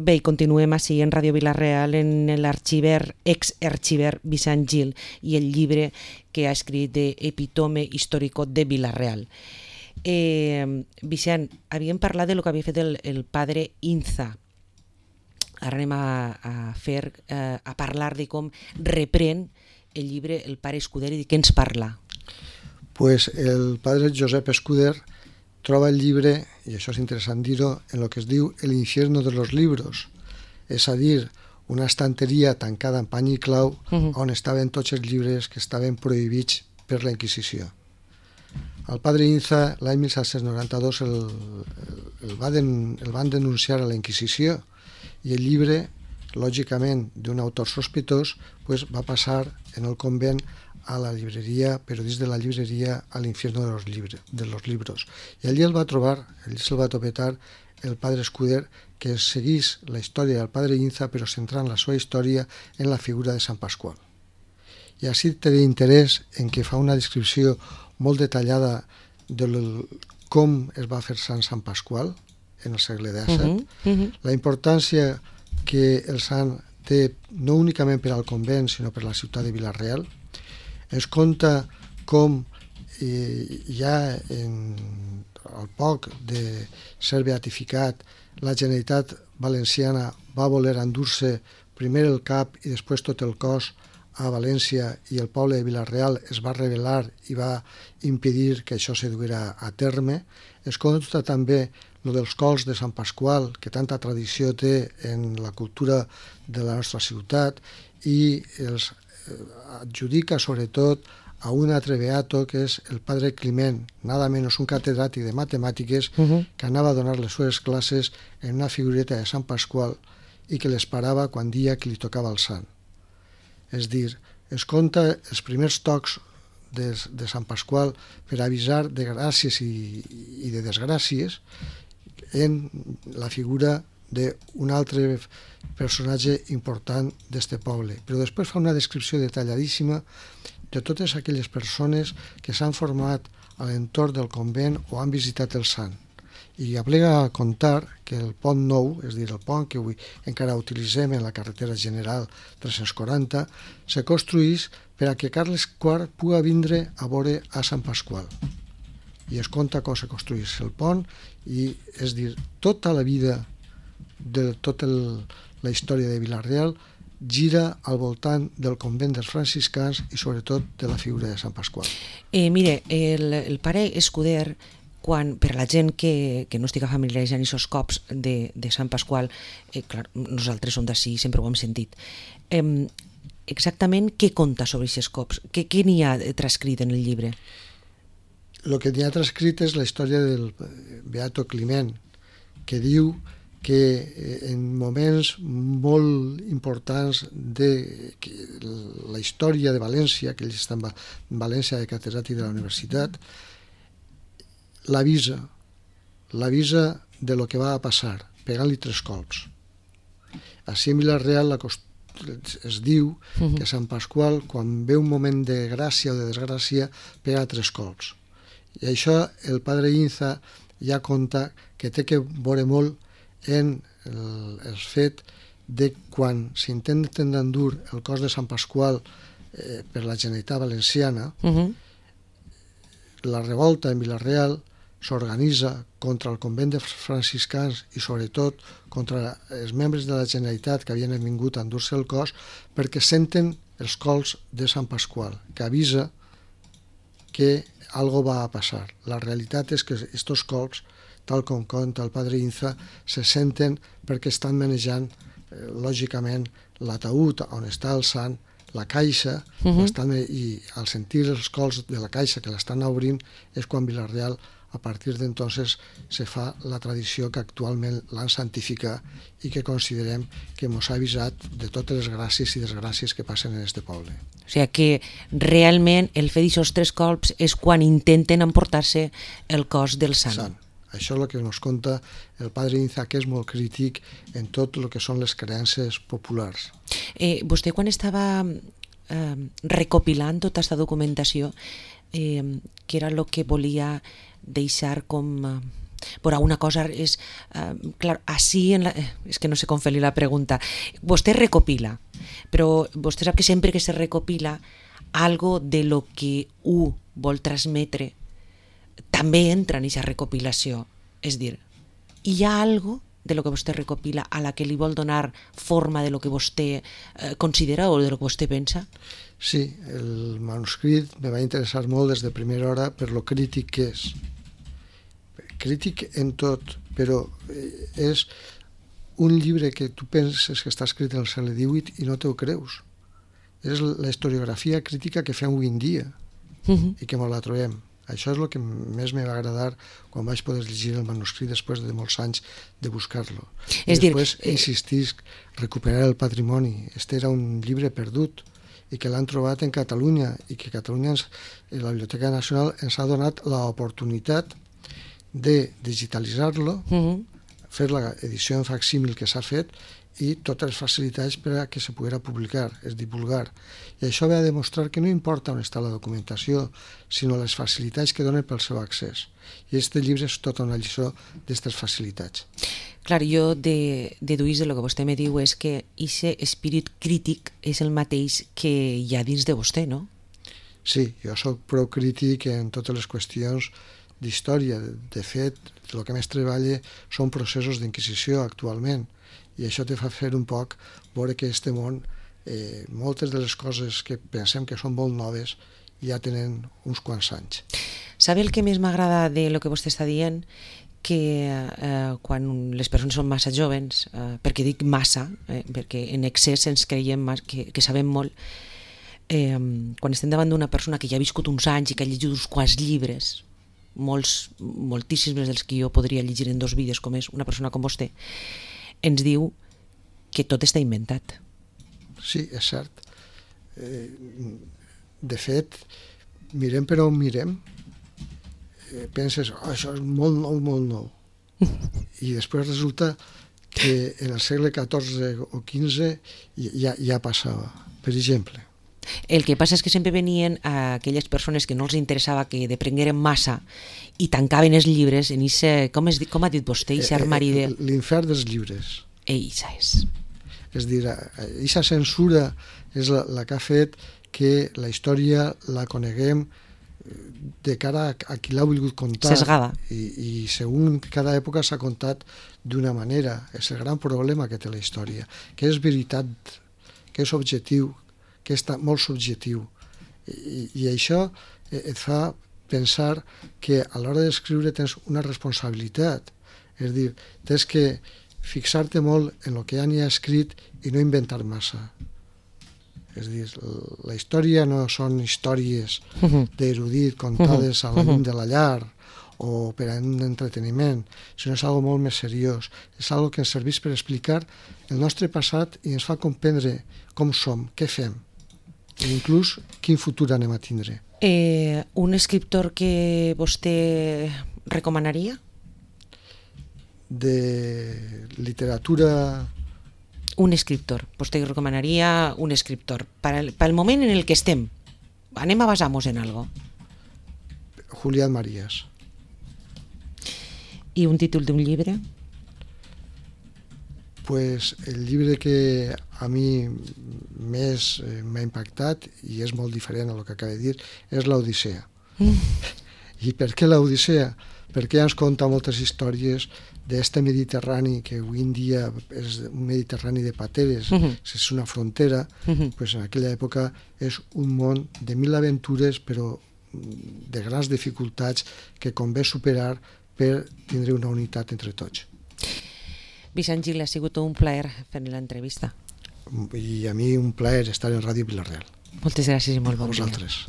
Bé, i continuem així en Ràdio Vila-real en l'arxiver, ex-arxiver Vicent Gil i el llibre que ha escrit d'Epitome Histórico de Vila-real. Vicent, havíem parlat de lo que havia fet el padre Inza. Ara anem a parlar de com reprèn el llibre el pare Escuder i de què ens parla. Pues el padre Josep Escuder troba el llibre, i això és interessant dir-ho, en el que es diu El infierno de los libros, és a dir, una estanteria tancada amb pany i clau on estaven tots els llibres que estaven prohibits per la Inquisició. El padre Inza, l'any 1792, el van denunciar a la Inquisició i el llibre, lògicament, d'un autor sospitós, pues, va passar en el convent a la llibreria, però dins de la llibreria a l'infierno de los libros. I allí el va trobar, allí se'l va topetar el padre Escuder, que seguís la història del padre Inza, però centrant la seva història en la figura de Sant Pasqual. I així té interès en què fa una descripció molt detallada de com es va fer Sant Pasqual en el segle XVII, la importància que el sant té no únicament per al convent, sinó per la ciutat de Vila-real. Es conta com ja al poc de ser beatificat la Generalitat Valenciana va voler endur-se primer el cap i després tot el cos a València i el poble de Vila-real es va rebel·lar i va impedir que això se duguera a terme. Es conta també lo dels cols de Sant Pasqual, que tanta tradició té en la cultura de la nostra ciutat, i els adjudica sobretot a un altre beato que és el padre Climent, nada menos un catedràtic de matemàtiques que anava a donar les seves classes en una figureta de Sant Pasqual i que l'esperava quan dia que li tocava el sant. És dir, es conta els primers tocs de Sant Pasqual per avisar de gràcies i de desgràcies en la figura d'un altre personatge important d'este poble. Però després fa una descripció detalladíssima de totes aquelles persones que s'han format a l'entorn del convent o han visitat el sant. I aplega a contar que el pont nou, és a dir, el pont que avui encara utilitzem en la carretera general 340, se construís per a que Carles IV pugui vindre a veure a Sant Pasqual. I es conta com se construís el pont, i és dir, tota la vida de tota la història de Vila-real gira al voltant del convent dels franciscans i sobretot de la figura de Sant Pasqual. Mire, el pare Escuder, per la gent que no estigui familiaritzant aquests cops de Sant Pasqual, clar, nosaltres som d'ací, sempre ho hem sentit, exactament què conta sobre aquests cops? Què n'hi ha transcrit en el llibre? El que n'hi ha transcrit és la història del beato Climent, que diu que en moments molt importants de la història de València, que ell està en València de catedràtic de la universitat, l'avisa de lo que va a passar, pegant-li 3 colps. Així en Vila-real es diu que Sant Pasqual, quan ve un moment de gràcia o de desgràcia, pega 3 colps. I això el padre Inza ja conta que té que veure molt en el fet de quan s'intenten endur el cos de Sant Pasqual per la Generalitat Valenciana, la revolta en Vila-real s'organitza contra el convent de franciscans i sobretot contra els membres de la Generalitat que havien vingut a endur-se el cos, perquè senten els colps de Sant Pasqual, que avisa que algo va a passar. La realitat és que estos colps, tal com conta el padre Inza, se senten perquè estan manejant, lògicament, l'ataúd on està el sant, la caixa, i al sentir els colps de la caixa que l'estan obrint és quan Vila-real, a partir d'entonces, se fa la tradició que actualment l'han santificat i que considerem que ens ha avisat de totes les gràcies i desgràcies que passen en este poble. O sigui que realment el fet d'aquests 3 colps és quan intenten emportar-se el cos del sant. Això és el que ens conta el padre Inza, que és molt crític en tot el que són les creences populars. Vostè, quan estava recopilant tota aquesta documentació, què era el que volia deixar com Però una cosa és, clar, així, és que no sé com fer-li la pregunta, vostè recopila, però vostè sap que sempre que se recopila, algo de lo que vol transmetre també entra en aquesta recopilació. És dir, hi ha algo de lo que vostè recopila a la que li vol donar forma de lo que vostè considera o de lo que vostè pensa? Sí, el manuscrit me va interessar molt des de primera hora per lo crític que és. Crític en tot, però és un llibre que tu penses que està escrit en el segle XVIII i no t'ho creus. És la historiografia crítica que fem avui en dia i que ens la trobem. Això és el que més me va agradar quan vaig poder llegir el manuscrit després de molts anys de buscar-lo. I després insistisc, recuperar el patrimoni. Este era un llibre perdut i que l'han trobat en Catalunya i que Catalunya, la Biblioteca Nacional, ens ha donat l'oportunitat de digitalitzar-lo, fer l'edició en facsímil que s'ha fet i totes les facilitats per a que se poguera publicar, es divulgar. I això ve a demostrar que no importa on està la documentació, sinó les facilitats que donen pel seu accés. I aquest llibre és tota una lliçó d'aquestes facilitats. Clar, jo deduís de lo que vostè me diu és que aquest espírit crític és el mateix que hi ha dins de vostè, no? Sí, jo soc prou crític en totes les qüestions d'història. De fet, el que més treballa són processos d'inquisició actualment. I això te fa fer un poc veure que este món, moltes de les coses que pensem que són molt noves ja tenen uns quants anys. Sabe el que més m'agrada de lo que vostè està dient? Que quan les persones són massa jovens, perquè dic massa, perquè en excés ens creiem que sabem molt, quan estem davant d'una persona que ja ha viscut uns anys i que ha llegit uns quants llibres, moltíssims dels que jo podria llegir en 2 vides, com és una persona com vostè, ens diu que tot està inventat. Sí, és cert. De fet, mirem per on mirem, penses, això és molt nou, molt nou. I després resulta que en el segle XIV o XV ja passava. Per exemple, el que passa és que sempre venien aquelles persones que no els interessava que deprengueren massa i tancaven els llibres en ese, com ha dit vostè, ese armari de... L'infern dels llibres. Eixa és. És dir, aquesta censura és la que ha fet que la història la coneguem de cara a qui l'ha volgut contar. Sesgada. I segons cada època s'ha contat d'una manera. És el gran problema que té la història, que és veritat, que és objectiu, que és molt subjectiu. I això et fa pensar que a l'hora d'escriure tens una responsabilitat. És a dir, tens que fixar-te molt en el que ja n'hi ha escrit i no inventar massa. És a dir, la història no són històries d'erudit contades a la llum de la llar o per a un entreteniment, sinó és algo molt més seriós. És algo que ens serveix per explicar el nostre passat i ens fa comprendre com som, què fem, i inclús quin futur anem a tindre. Un escriptor que vostè recomanaria? De literatura... Un escriptor. Vostè recomanaria un escriptor. Pel moment en el que estem. Anem a basar-nos en algo. Julián Marías. I un títol d'un llibre? Pues el llibre que a mi més m'ha impactat, i és molt diferent a lo que acabo de dir, és l'Odissea. I per què l'Odissea? Perquè ens conta moltes històries d'este Mediterrani, que avui en dia és un Mediterrani de pateres, és una frontera, pues en aquella època és un món de 1000 aventures, però de grans dificultats que convé superar per tindre una unitat entre tots. Vicent Gil, ha sigut un plaer fer l'entrevista. I a mi un plaer estar en Ràdio Vila-real. Moltes gràcies i molt bon dia. A vosaltres.